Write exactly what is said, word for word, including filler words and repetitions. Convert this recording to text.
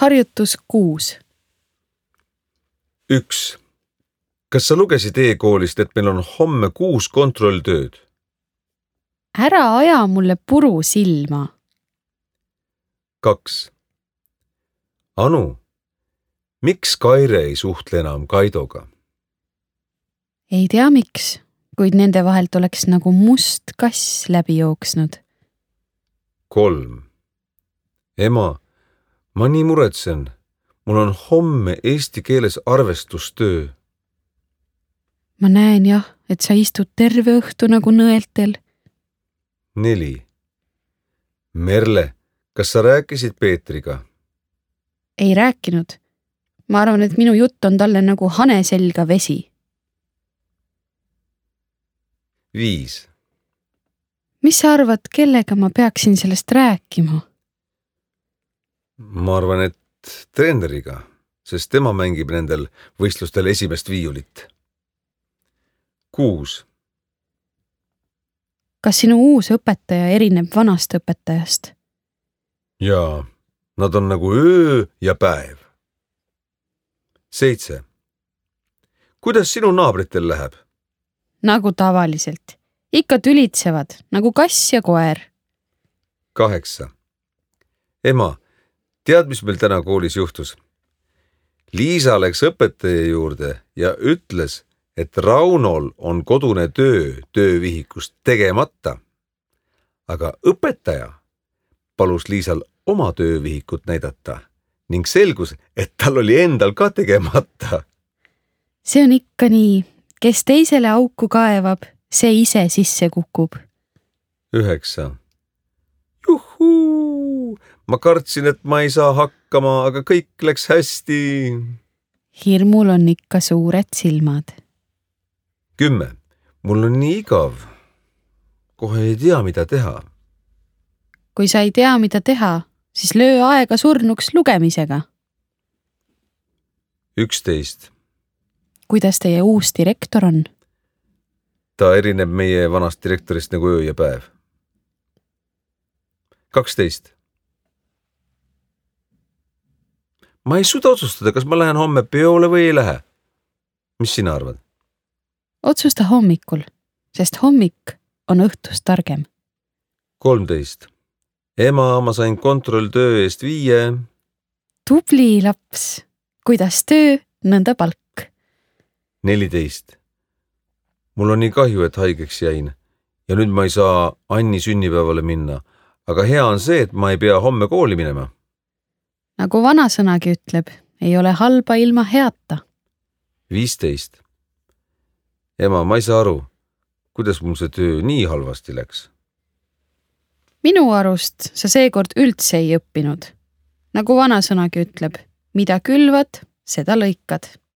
Harjutus kuus. üks. Kas sa lugesid e-koolist, et meil on homme kuus kontrolltööd? Ära aja mulle puru silma. kaks. Anu, miks Kaire ei suhtle enam Kaidoga? Ei tea miks, kuid nende vahelt oleks nagu must kass läbi jooksnud. kolm. Ema, ma nii muretsen. Mul on homme eesti keeles arvestustöö. Ma näen jah, et sa istud terve õhtu nagu nõeltel. neli. Merle, kas sa rääkisid Peetriga? Ei rääkinud. Ma arvan, et minu jutt on talle nagu hane selga vesi. viis. Mis sa arvad, kellega ma peaksin sellest rääkima? Ma arvan, et treeneriga, sest tema mängib nendel võistlustel esimest viiulit. kuus. Kas sinu uus õpetaja erineb vanast õpetajast? Jaa, nad on nagu öö ja päev. seitse. Kuidas sinu naabritel läheb? Nagu tavaliselt. Ikka tülitsevad, nagu kass ja koer. kaheksa. Ema, tead, mis meil täna koolis juhtus? Liisa läks õpetaja juurde ja ütles, et Raunol on kodune töö töövihikust tegemata. Aga õpetaja palus Liisal oma töövihikut näidata ning selgus, et tal oli endal ka tegemata. See on ikka nii. Kes teisele auku kaevab, see ise sisse kukub. üheksa. Juhuu! Ma kartsin, et ma ei saa hakkama, aga kõik läks hästi. Hirmul on ikka suured silmad. kümme. Mul on nii igav. Kohe ei tea, mida teha. Kui sa ei tea, mida teha, siis löö aega surnuks lugemisega. üksteist. Kuidas teie uus direktor on? Ta erineb meie vanast direktorist nagu öö ja päev. kaksteist. Ma ei suuda otsustada, kas ma lähen homme peole või ei lähe. Mis sina arvad? Otsusta hommikul, sest hommik on õhtust targem. kolmteist. Ema, ma sain kontrolltöö eest viie. Tubli laps. Kuidas töö, nõnda palk. neliteist. Mul on nii kahju, et haigeks jäin ja nüüd ma ei saa Anni sünnipäevale minna, aga hea on see, et ma ei pea homme kooli minema. Nagu vanasõnagi ütleb, ei ole halba ilma heata. viisteist. Ema, ma ei saa aru, kuidas mul see töö nii halvasti läks. Minu arust sa seekord üldse ei õppinud. Nagu vanasõnagi ütleb, mida külvad, seda lõikad.